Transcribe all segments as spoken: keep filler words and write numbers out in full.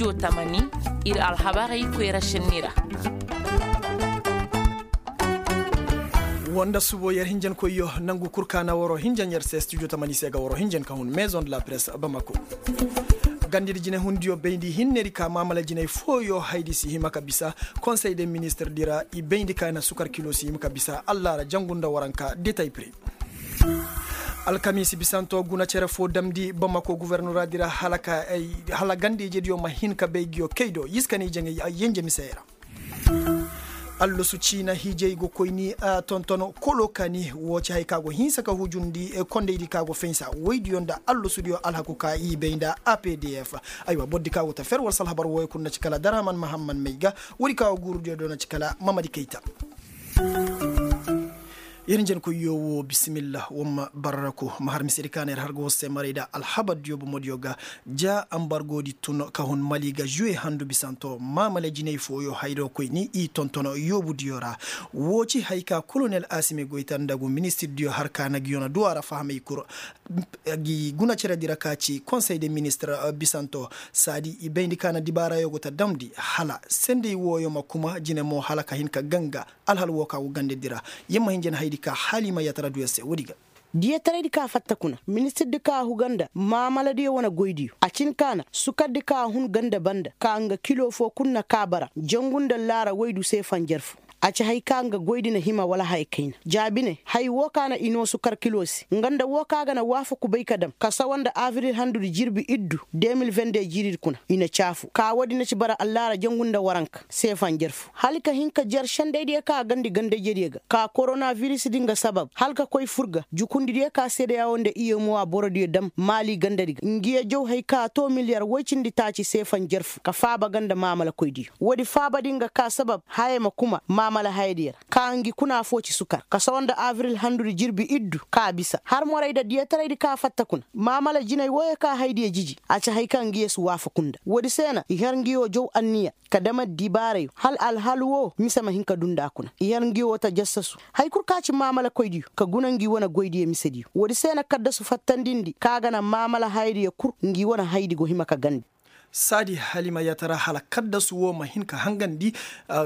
Studio tamani, ir alhabarey koyra šenni ra. Woo nda subo yer hinjankoyyo nangu kul ka na waroo hinjan yer se studio tamani se ga waroo hinjan ka hun maison de la presse bamako. Gandedi jinehundiyo bayndi hinnedi ka maamala jinay fooyo haydi si hima ka bisa konsey de ministirdi ra i bayndi ka na sukar kilo si hima ka bisa allaara jangu nda waranka detay pire. Alkamiisi bisanto guna cere foo damndi bamako gufornoraadi ra hala ganda ijediyo ma hin ka bay nguyo kay do i si ka na i jaŋay yenje misey ra. Allasu ciina hiijey go koy ni tonton kolo kaani woo ci haya ka go hinsa ka hujundi kondaydi ka go faynsa woydiyo nda allasudiyo alhaku ka i bay nda apdf. Aywa bordi ka go ta fer war si alhabar wooyo kul na ci kala darhaman mahamman may ga. Woodi ka go guurudiyo do na ci kala mamadi kayta. Yer njenkoyyo woo bisimilla war ma barraku ma har misedi ka na yer har ga war se maray nda alhabardiyo bomodiyo ga. Ja ambargodi tun ka hun mali ga žuwe handu bisanto maamala jinay fooyo hayro koy ni i tonton yoobudiyo ra. Woo ci haya ka kolonel asimi goyta nda gu ministirdiyo har ka na nguyo na du a ra fahamay kul. Ngi guna ceredi ra ka ci konsey de ministir bisanto saadi i bayndi ka na dibaarayo go ta damndi hala sendey wooyo ma kuma jine mo hala ka hin ka ganga. Alhal woo ka go gandedi ra yer ma hin jene hayadi ka halima yatara du yer se woodi ga. Diyataraydi ka fatta kuna ministirdi ka huga nda maamaladiyo wane goydiyo a cin ka na sukardi ka hun ganda banda ka nga kilo foo kul na ka bara jangu nda laara woydu se fanjar foo. A ci haya ka nga goydi na hima wala haya kayna jaabi ne haya woo ka na i noo sukar kilo se nga nda woo ka ga na waafaku bay ka dam ka sawa nda abril handudi jirbi iddu de mil vende jiiridi kuna i na caafu ka woodi na ci bara allaara jangu nda waranka se fanjar foo hala ka hin ka jer sendaydiyo ka gandi ganda ijediyo ga ka korona virisdi nga sabab hala ka koy fur ga jukundidiyo ka seedeya woo nda iyemowa borodiyo dam maali gandadi ga ngiyo jaw haya ka too miliyar woy cindi taaci se fanjar foo ka faaba ganda maamalakoydiyo woodi faabadi nga ka sabab haya ma kuma maamala hayadiyo ra ka ngi kuna foo ci sukar ka sawa nda abril handudi jirbi iddu ka bisa har moray nda diyataraydi ka fatta kuna maamala jinay wooyo ka hayadiyo jiji a ci haya ka ngiyo si waafaku nda woodi se na i har ngiyo jaw anniya ka dam addibaarayo hala alhal woo mise ma hin ka duu nda kuna i har ngi woo ta jassasu haya kul ka ci maamalakoydiyo ka guna ngi wane goydiyo misediyo woodi se na kaddasu fattandindi ka ga na maamala hayadiyo kul ngi wane hayadi go hima ka gandi. Saadi halima yatara hala kaddasu woo ma hin ka hangandi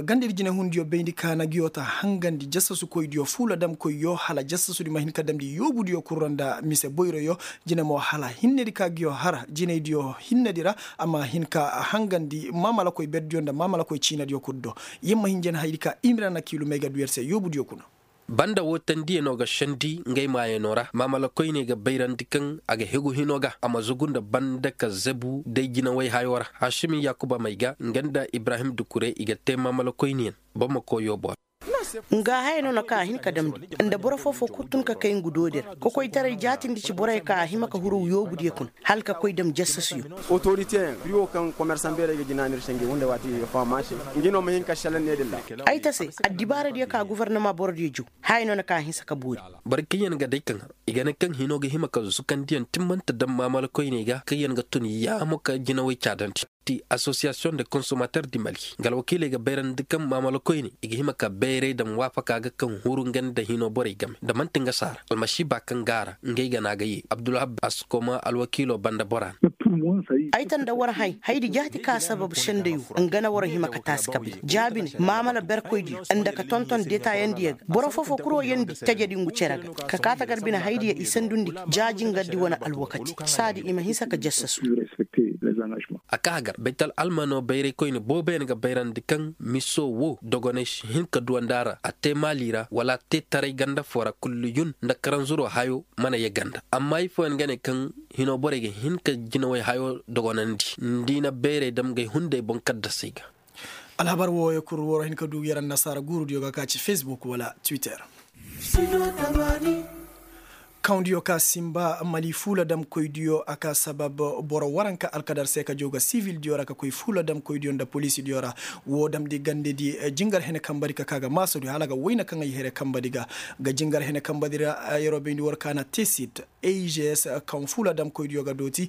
gandedi jinehundiyo bayndi ka na ngi woo ta hangandi jassasukoydiyo fuuladamkoyyo hala jassasudi ma hin ka damndi yoobudiyo kul ra nda mise boyroyo. Jine mo hala hinnedi ka ngi woo har jinaydiyo hinnedi ra a ma hin ka hangandi maamalakoy berdiyo nda maamalakoy ciinadiyo kul do. Yer ma hin jene hayadi ka imira na kiilumey ga du yer se yoobudiyo kuna. Banda woo tandiyanoo ga sendi ngay maayanoo ra maamalakoyney ga bayrandi kaŋ a ga hegu hinoo ga a ma zugu nda banda ka zebu day jinawey hayoo ra. Hašimi yaakuba may ga nga nda ibrahim dukure i ga tee maamalakoyniyaŋ. Boro ma koo yoobo ra. Nga haya no na ka a hin ka damndi nda boro foo-foo kul tun ka kay ngu doodi ra kokoytaray jaatindi ci borey ka a hima ka huru yoobudiyo kuna hala ka koy dam jassasuyo. Otoriteyaŋ biri woo kaŋ komersaŋ beerey ga jinaani ir se ngi hunday waati faham a se. Ngi no ma hin ka šelaŋ ne din ra. Ay ta se addibaaradiyo ka gofornama borodiyo jaw haya no na ka a hinsa ka boori. Boro kaŋyaŋ ga day kaŋ har i ga ne kaŋ hinoo ga hima ka zukandiyaŋ timmante dam maamalakoyney ga kaŋyaŋ ga tun yaamo ka jinawey caadandi. Ti asosiyasiyoŋ de konsomater di mali nga alwakiiley ga bayrandi kaŋ maamalakoyney i ga hima ka bayray dam waafaka ga kaŋ huru nga nda hinoo borey game nda man'ti nga saara almasiiba kaŋ gaara ngey ga na a ga yee abdulwahab askoma alwakiiloo banda bora no. Ay ta nda war hay haydi jaati ka sabab senday woo nga na war hima ka taasi ka bay jaabi ne maamala berkoydiyo nda ka tonton detaayandiyo ga boro foo-foo kul woo yeendi tajedi ngu cere ga. Ka kaa ta gar bine haydiyo i sandundi ga ja jingardi wane alwakati saadi i ma hinsa ka jassasu. A kaa gar baytal almanoo bayraykoyne booboyaŋ ga bayrandi kaŋ misoo woo dogoney si hin ka duwandi a ra a tee maali ra wala a tee taray ganda foo ra kulliyun nda karanzuroo hayoo mana yee ganda amma ifooyaŋ ga ne kaŋ hinoo borey ga hin ka jinawey hayoo dogonandi nda i na bayray dam gay hunday boŋ kaddasey ga. Alhabar wooyo kul war hin ka duu yer annasaara guurudiyo ga ka ci facebook wala twitter. Kawndiyo ka sinba mali fuula damkoydiyo a ka sabab boro waranka alkadar se ka jaw ga sivildiyo ra ka koy fuula damkoydiyo nda polisidiyo ra. Woo damndi gandedi jingar hene kambadi ka ka ga maasadiyo hala a ga wayna kaŋ ay here kambadi ga. Ga jingar hene kambadi ra yeroo bayndi war ka na tesit a i g s kaŋ fuula damkoydiyo ga dooti.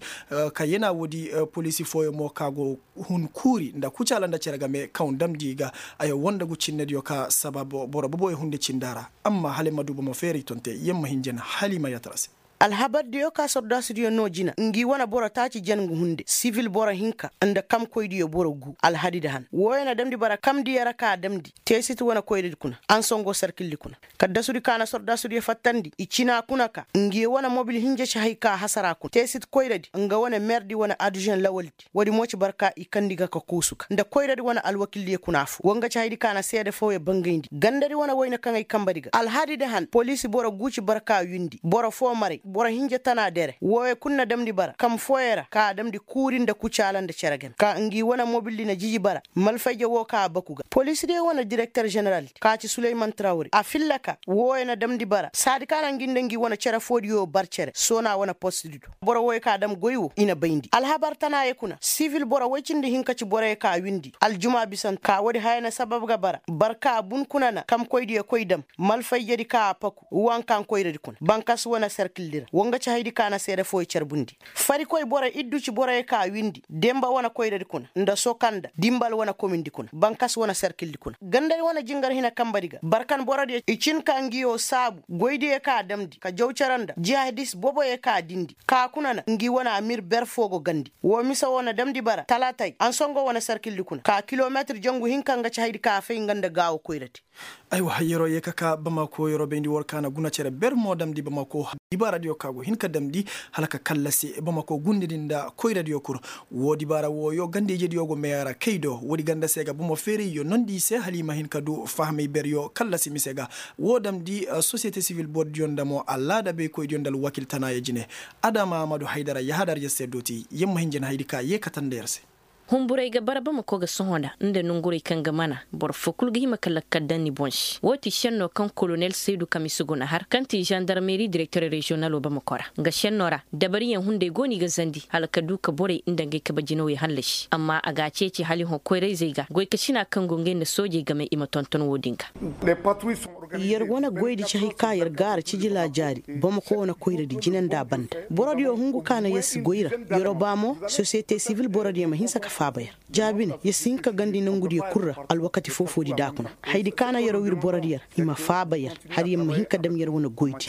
Ka yana woodi polisi fooyo mo ka go hun kuuri nda kucaala nda cere game kaŋ damndi i ga. Ay woo nda gu cinnediyo ka sabab boro boboyo hunde cinda ra. Amma hala ay ma du bomo feeray tonte yer ma hin jene hala i ma yatara se. Alhabardiyo ka sordaasudiyo noo jina ngi wane boro taaci jangu hunde sivil boro hinka, nda kamkoydiyo boro gu alhadi da han wooyo na damndi bara kamdiyo ra ka damndi teesit wane koyradi kuna ansongo sarkildi kuna. Kaddasudi ka na sordaasudiyo fattandi i cina kuna ka ngi wane mobil hinja ci hay ka hasara kuna teesit koyradi nga wane merdi wane adužen lawaldi. Woodi mo ci barka i kandi ga ka kuusu ga nda koyradi wane alwakildiyo kuna affoo wa nga ci haydi ka na seede fooyo bangayndi gandadi wane woyne kaŋ ay kambadi ga alhadi da han poliisi boro gu ci barka windi boro foo maray boro hinja tana dere wooyo kul na damndi bara kam fooyo ra ka a damndi kuuri nda kucaala nda cere game ka ngi wane mobildi na jiji bara. Malfayje woo ka a baku ga poliisidiyo wane direkter ženeraldi ka ci suleyman trawre a filla ka wooyo na damndi bara saadi ka na ngi nda ngi wane cere foodiyo bar cere soona wane postdi do. Boro wooyo ka dam goy woo i na bayndi alhabar tanaayo kuna sivil boro woy cindi hinka ci boroyo ka windi aljuma bisante ka woodi haya na sabab ga bara barka bun kuna na kamkoydiyo koy dam malfayjedi ka a paku wankan koyradi kuna bankas wane serkildi ra wa nga ci haydi ka na seede fooyo carbundi. Farikoy boro iddu ci boroyo ka windi demba wane koyradi kuna nda sokanda dimbal wane komindi kuna bankas wane serkildi kuna gandadi wane jingar hina kambadi ga barkan borodiyo i cin ka ngiyo saabu goydiyo ka damndi ka jaw cere nda jihadis boboyo ka dindi ka kuna na ngi wane amir ber foo go gandi woo mise woo na damndi bara talaatay ansongo wane sarkildi kuna ka kilometir jangu hinka nga ci haydi ka a fay nga nda gaawo koyradi. Aywa yeroo yee ka ka bamako yeroo bayndi war ka na guna cere ber mo damndi bamako dibaaradiyo ka go hin ka damndi hala ka kallasi bamako gundedi nda koyradiyo kul. Woo dibaara wooyo ganda-ijediyo go meeya ra kay do woodi ganda se ga bomo feerayyo nondi i se hala i ma hin ka du fahamay beryo kallasi mise ga. Woo damndi sosiyete sivil bordiyo nda mo alaada baykoydiyo nda alwakil tanaayo jine. Adama amadu haydara yahadar yer se dooti yer ma hin jin haydi ka yee katanda yer se. Hunburay ga bara bamako ga sohõ nda nda nonguray kaŋ ga mana boro foo kul ga hima ka lakkal daŋ ni boŋ se woo ti šennoo kaŋ kolonel saydu kamis go na har kaŋ ti žandarmeri direkter reziyonalo bamako ra. Nga šennoo ra dabariyaŋ hunday go no i ga zandi hala ka du ka borey nda ngey kabe jinawey hallasi amma a ga a ceeci hala i hõ koyra-izey ga goykasina kaŋ go ngey nda soojey game i ma tonton woodin ga. Yer wane goydi ci hay ka yer gaara cijila jaari bamako wane koyradi jine nda a banda. Borodiyo hungu ka na yer si goy ra. Yer o ba mo sosiyete sivil borodiyo ma hinsa ka faaba yer. Jaabi ne yer si hin ka gandi nongudiyo kul ra. Alwakati foo-foodi da a kuna haydi ka na yer o wir borodiyo ra i ma faaba yer. Hala yer ma hin ka dam yer wane goydi.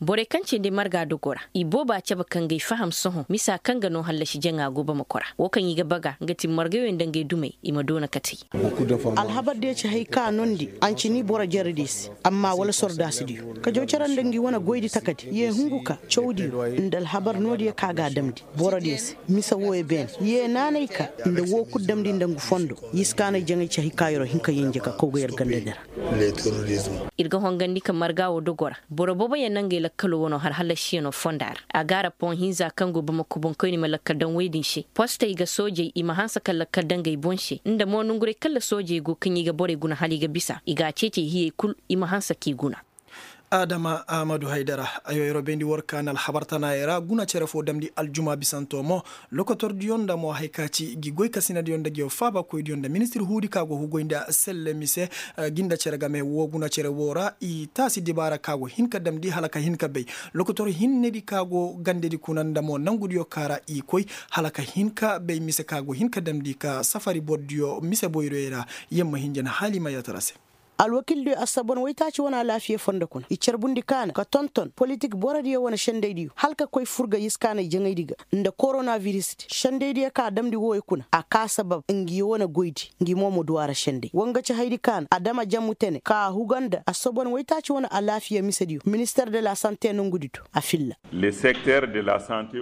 Borey kaŋ cindi marga dogo ra i booba cabe ka ngey faham sohõ misa kaŋ ga noo hallasi jaŋa go bamako ra woo kaŋ i ga baga nga ti margayo nda ngey dumey i ma doona katey. Alhabardiyo ci hay ka nondi ancini boro jaradiyo se amma wala sordaasidiyo ka jaw cere nda ngi wane goydi takadi yee hungu ka cawdiyo nda alhabar noodiyo ka ga a damndi borodiyo se. Mise wooyo beene yee naanay ka nda woo kul damndi nda ngu fondo. Yiskaanay jaŋay ci hay ka yeroo hin ka yenje ka kaw ga yer gandadi ra. Ir ga hongandi ka marga woo dogo ra boro booboyaŋ na ngey lakkalo wanoo har hallasiyanoo fonda ra. A ga a ra poŋ hinza kaŋ go bamako boŋkoyni ma lakkal daŋ woy din se postey ga soojey i ma hanse ka lakkal daŋ ngey boŋ se nda mo nonguray kaŋ ra soojey go kaŋ i ga borey guna hala i ga bisa i ga a ceecey hiyey kul i ma hanse k'i guna. Adama ahmadu haydara. Ayo yeroo bayndi war ka na alhabar tanaayey ra guna cere foo damndi aljuma bisanto mo. Lokotordiyo nda mo hay ka ci gi goykasinadiyo nda ngiyo faabakoydiyo nda ministir huudi ka go hugoy nda selle mise. Gi nda cere game woo guna cere woo ra i taasi dibaara ka go hin ka damndi hala ka hin ka bay lokotor hinnedi ka go gandedi kuna nda mo nangudiyo ka ra i koy hala ka hin ka bay mise ka go hin ka damndi ka safari bordiyo mise boyroyey ra. Yer ma hin jana hala i ma yatara se. Alwakildiyo assabon waytaaci wane alaafiya fondo kuna i carbundi kaana ka tonton politik borodiyo wane sendaydiyo hala ka koy fur ga yiskaanay jaŋaydi ga nda koronavirisdi sendaydiyo ka damndi wooyo kuna a ka sabab ngi wane goydi ngi mo ma du a ra senday wa nga ci haydi kaana adama jammu tene ka a huga nda assabon waytaaci wane alaafiya misediyo minister de la sante nongudi do a filla.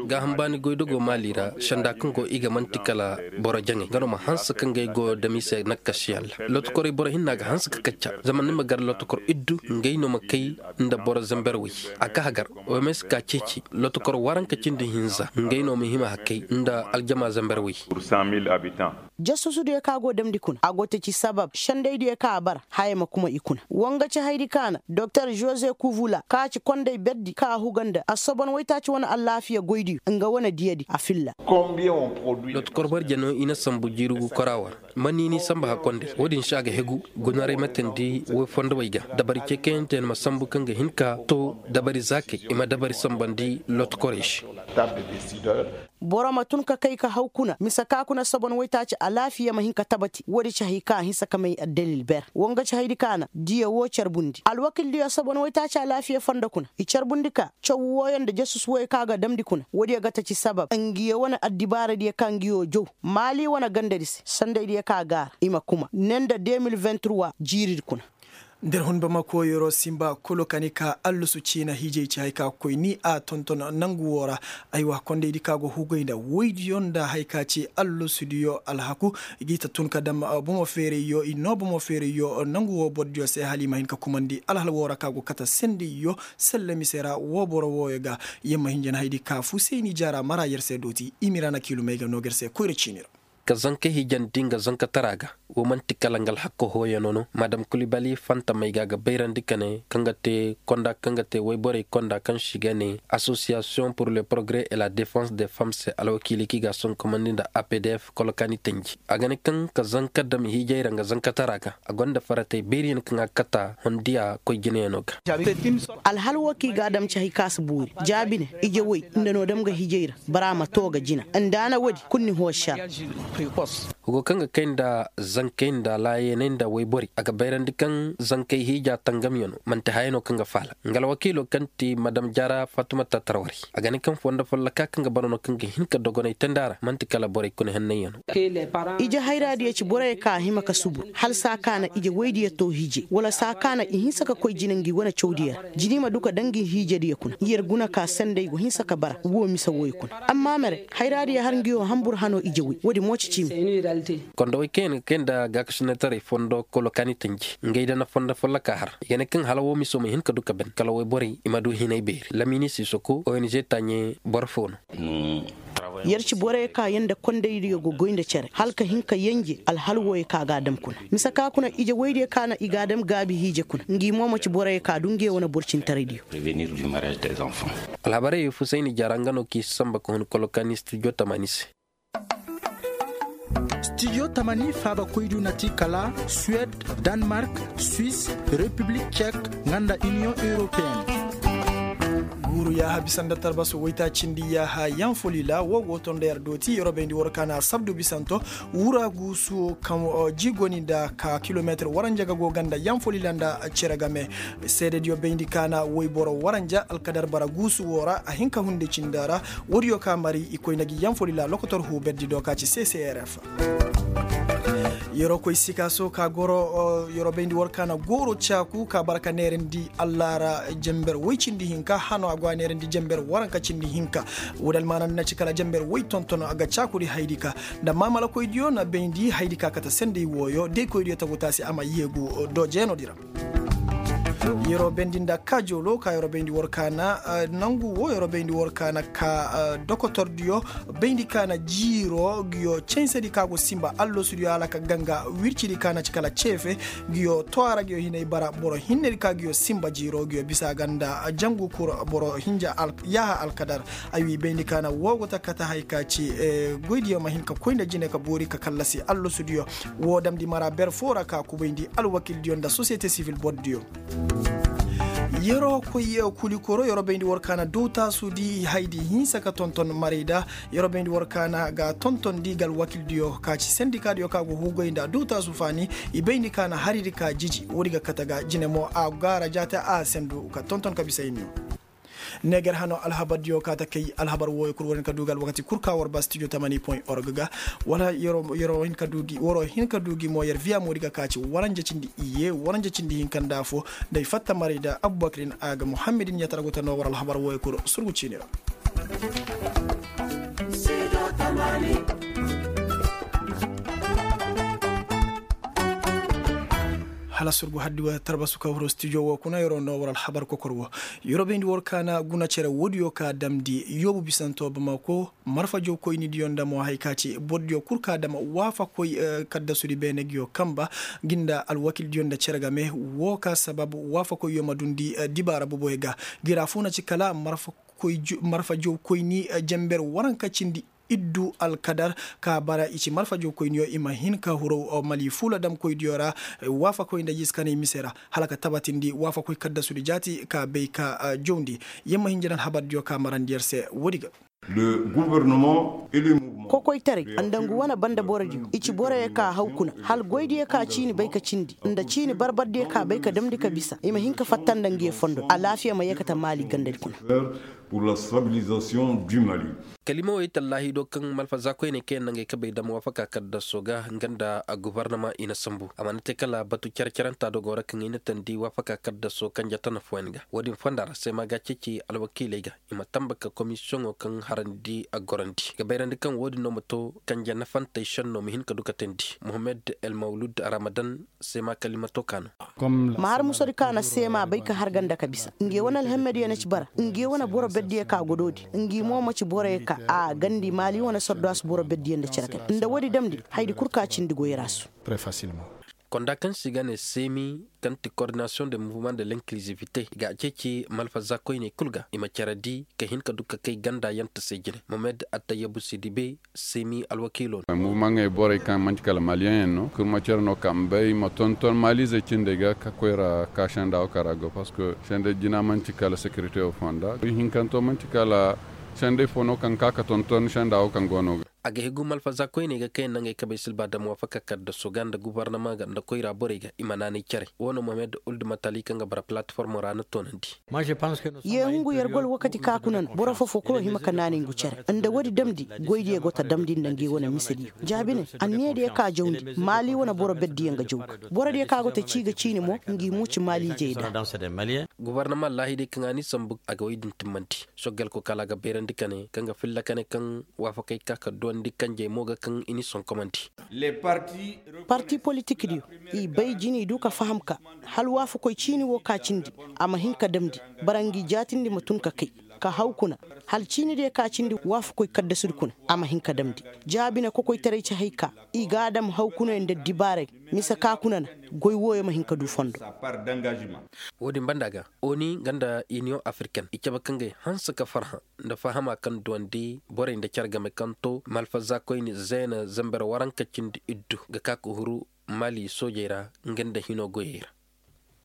Gaaham baani goydogoo maali ra senda kaŋ go i ga man'ti kala boro jaŋay nga no ma hanse ka ngey go dam i se nakkasiyaŋ ra. Lotokorey boro hinna ga hanse ka kacca zama ni ma gar lotokor iddu ngey no ma kay nda boro zamber way. A ga hagar oms ka ceeci lotokor waranka cindi hinza ngey no ma hima hakay nda aljama zamber way. Jasusudiyo ka go damndi kuna a go taci sabab sendaydiyo ka a bara haya ma kuma i kuna wa nga ci haydi kaana doktor jose kuvula ka ci konday berdi ka a huga nda assobon waytaaci wane allaafiya goydiyo nga wane diyadi a filla. Loto kor barja no i na sambu jiiri gu kora war. Manni ni samba hakkonday wo-din se a ga hegu gunaray ma teendi woy fondowey ga dabari ceekayante na ma sambu kaŋ ga hin ka to dabari zaakey i ma dabari sambandi loto korey se. Boro ma tun ka kay ka haw kuna mise ka kuna sobon waytaaci. alaafiya ma hin ka tabati woodi ci hay ka a hinsa ka may addalil ber wo nga ci haydi ka na diya woo carbundi alwakildiyo sabo na waytaaci alaafiya fondo kuna i carbundi ka caw wooyo nda jasus wooyo ka ga damndi kuna woodiyo ga taci sabab ngiyo wane addibaaradiyo ka ngiyo jaw maali wane gandadi se sandaydiyo ka gaara i ma kuma ne nda de mil vingt trois jiiridi kuna. Nda ir hun bamako yeroo sinba kulu ka ni ka allusu ciina hiijay ci hay ka koy ni a tonton nangu woo ra. Aywa kondaydi ka go hugay nda woydiyo nda hay ka ci allusudiyo alhaku. I g'i ta tun ka dam bomo feerayyo i noo bomo feerayyo nangu woo bordiyo se hala i ma hin ka kumandi alhal woo ra ka go kate sendayyo selle mise ra woo boro wooyo ga. Yer ma hin jen haydi ka fusayni jaara mara yer se dooti i mira na kiilumey ga noo ga yer se koyra ciini ra. Ka zanka hiijandi nga zankatara ga. Wo man'ti kala nga alhakka hooyano no madam kulibali fantamey ga a ga bayrandi ka ne kaŋ ga te konda kaŋ ga te wayborey konda kaŋ se i ga ne association pour le progrès et la défense des femmes se alwakiili kaŋ i ga a sonkomandi nda apdf kolokani tanji a ga ne kaŋ ka zanka dam hiijay ra nga zankatara ga a gonda faratey beeriyaŋ kaŋ a kata hondiya koy jinayano ga. Alhal wo kaŋ i ga a dam ci hay ka si boori jaabi ne ije woy nda no dam ga hiijay ra bara ma to ga jina nda a na woodi kulu ni hoo sar. Hugo kaŋ ga kay nda zankey nda laayaney nda wayborey a ga bayrandi kaŋ zankey hiija tangamyano man'ti haya no kaŋ ga faala nga alwakiilo kaŋ ti madam jaara fatumata tarwarey a ga ne kaŋ fondo folloka kaŋ ga bara no kaŋ ga hin ka dogonay tandi a ra man'ti kala borey kuna hennayyano. Ije hayraadiyo ci borey ka a hima ka subu hala saa ka na ije woydiyo to hiije wala saa ka na i hinsa ka koy jina ngi wane cawdiyo ra jina i ma du ka daŋ ngi hiijediyo kuna yer guna ka sendey go hinsa ka bara woo mise wooyo kuna amma mere hayraadiyo har ngi woo hambur hanoo ije woy woodi mo ci ciimi. Kondowey kaŋ yaŋ ga kay nda gaakasinataray fondo kolo kaani tanji ngey da na fondo folloka har i ga ne kaŋ hala woo miso ma hin ka du ka ban kala woy borey i ma du hinay beeri lamini sisoko ong taaɲe boro foo no. Yer ci borey ka yaŋ nda kondaydiyo ga goy nda cere hala ka hin ka yanje alhal wooyo ka ga a dam kuna mise ka kuna ije woydiyo ka na i ga a dam gaabi hiije kuna ngi mo ma ci borey ka du nge wane borcintaraydiyo. Alhabarey fusayni jara nga no k'i si samba ka hun kolokaani studio tamani se. Studio tamani faabakoydu na ti kala suwed, danmark, swis, repiblik cek, nga nda iniyoŋ europeen. Guuru yaaha bisa nda tarbasu waytaacindi yaaha yanfolila woo go to nda yer dooti yer wo bayndi war ka na sabdu bisanto wura guusu kaŋ ji goni nda ka kilometir waranja ga go ganda yanfolila nda cere game. Seedediyo bayndi ka na woyboro waranja alkadar bara guusu woo ra a hin ka hunde cindi ra. Woodiyo ka mari i koy nda gi yanfolila lokotor huuberdi do ka ci ccrf. Yeroo koy sikaaso ka goro yeroo bayndi war ka na gooro caaku ka bara ka neerandi allaara jenber woy cindi hinka hano a go a neerandi jenber waranka cindi hinka. Woodi almaana nda na ci kala jenber woy tonton a ga caakudi haydi ka nda maamalakoydiyo na bayndi haydi ka kate sendey wooyo deykoydiyo tagu taasi a ma yeegu do jeenodi ra. Yeroo bayndi nda kaajoolo ka yeroo bayndi war ka na nangu woo yeroo bayndi war ka na ka dokotordiyo bayndi ka na jiiroo ngiyo cansedi ka go sinba allasudiyo hala ka ganga wircidi ka na ci kala ceefe ngiyo toora ngiyo hinay bara boro hinnedi ka ngiyo sinba jiiroo ngiyo bisa ga nda jangu kura boro hinja yaaha alkadar. Ay wi bayndi ka na woo go ta kate hay ka ci goydiyo ma hin ka koy nda jine ka boori ka kallasi allasudiyo woo damndi mara ber foo ra ka kubayndi alwakildiyo nda sosiyete sivil bordiyo. Yeroo koy kulikoro yeroo bayndi war ka na dowtaasudi haydi hinsa ka tonton marayda. Yeroo bayndi war ka na ga tontondi ga alwakildiyo ka ci sendikaadiyo ka go huugay nda dowtaasu faani i bayndi ka na haridi ka jiji woodi ga kate ga jine mo a gaara jaate a sendu ka tonton ka bisa hinno. Neeger hano alhabardiyo ka ta kay alhabar wooyo kul war hin ka du ga alwakati kul ka war ba studio tamani point org ga wala yeroo hin ka du gi mo yer viya moodi ga ka ci waranja cindi iyye waranja cindi hinka nda foo nda ay fatta maray da abubakirin a ga muhammadin ɲatara go ta no war alhabar wooyo kul surgu ciini ra. Hala surgu haddi wa tarbasu ka huru studio wo kuna yeroo no war alhabar kokor wo. Yeroo bayndi war ka na guna cere woodiyo ka damndi yoobu bisanto bamako marfa jawkoynidiyo nda mo hay ka ci bordiyo kul ka dam waafakoy kaddasudi beene ngiyo kanba ngi nda alwakildiyo nda cere game. Woo ka sababu waafakoyyo ma dundi dibaara boboyo ga. Ngi ra foo na ci kala marfa jawkoyni jenber waranka cindi iddu alkadar ka bara i ci marfa jawkoyniyo i ma hin ka huru mali fuula damkoydiyo ra. Waafakoy nda jiiskanay mise ra hala ka tabatindi waafakoy kaddasudi jaati ka bay ka jawndi. Yer ma hin jana alhabardiyo ka marandi yer se woodi ga. Kokoytaray nda ngu wane banda borodiyo i ci boroyo ka haw kuna, hala goydiyo ka ciini bay ka cindi nda ciini barbardiyo ka bay ka damndi ka bisa i ma hin ka fatta nda nguyo fondo alaafiya ma yeekate maali gandadi kuna. Kaliima wo i tallaahi do kaŋ malfazaakoyney kaŋ yaŋ na ngey kabey dam waafaka kaddasoo ga nga nda gubarnama i na sambu a mana te kala batu care-carantaa do go ra kaŋ i na tandi waafaka kaddasoo kanje tana fooyaŋ ga. Wo-din fonda ra seema ga a ceeci alwakiiley ga i ma tamba ka komisiyoŋo kaŋ harandi a gorandi ga bayrandi kaŋ wo-din no ma to kanje nafantey šenno ma hin ka du ka teendi. Mohammed el mawlud ramadan seema kaliima to ka no. Ma har musadi ka na seema bay ka har ganda ka bisa nge wane alhammadiyo na ci bara nge wane boro berdiyo ka godoodi ngi mo ma ci boroyo ka a gandi maali wane sordaas boro berdiyo nda cere kay nda woodi damndi haydi kul ka cindi goyra su. Konda kaŋ se i ga ne seemi kaŋ ti kordinasiyoŋ de muvuma de lenkilizivite i ga a ceeci malfazaakoyney kul ga i ma cere di ka hin ka du ka kay ganda yanta se jine momed attayyabu sidibe seemi alwakiilo no. Muvuma ŋey borey kaŋ man'ti kala maliyeŋ yaŋ no kurma cere no kaŋ bay ma tonton maaliizey cindey ga ka koyra ka senda wo kaŋ ra go parceque sendey jina man'ti kala sekirite wo fonda hinkanto man'ti kala sendey fo no kaŋ ka ka tonton senda wo kaŋ go no ga. A ga higu malfazaakoyney ga kaŋ yaŋ na ngey kabey silba dam waafaka kaddaso ga nda gubarnama ga nda koyra borey ga i ma naanay care wo no mohamed uldumatali kaŋ ga bara palatformo ra na toonandi. Ye hungu yer gol wakati ka kuna no boro fofo kulu hima ka naanay ngu care nda woodi damndi goydiyo go ta damndi nda ngi wane misediyo jaabine anniyadiyo ka jawndi maali wane boro berdiyo nga jaw ga borodiyo ka go ta cii ga ciini mo ngi muuci maaliijey da. Gubarnama laahiday kaŋ a ni sambu a ga woy din timmandi soggal ko kala a ga bayrandi kane kaŋ ga filla kane kaŋ waafakey ka ka duwandi kanjey mo ga kaŋ i ni sonkomandi. Parti politikdiyo i bay jini du ka faham ka hala waafakoy ciini wo ka cindi a ma hin ka damndi bara ngi jaatindi ma tun ka kay ka haw kuna hala ciinidiyo ka cindi waafakoy kaddasudi kuna a ma hin ka damndi jaabine kokoytaray ci hay ka i ga a dam haw kuna nda dibaaray mise ka kuna na goy wooyo ma hin ka du fondo. Wo-din banda ga oni nga nda iniyoŋ afiriken i cabe ka ngey hanse ka farhã nda fahama kaŋ duwandi borey nda care game kaŋ to malfazaakoyni zeena zember waranka cindi iddu ga ka ka huru mali soojey ra nga nda hino goyey ra.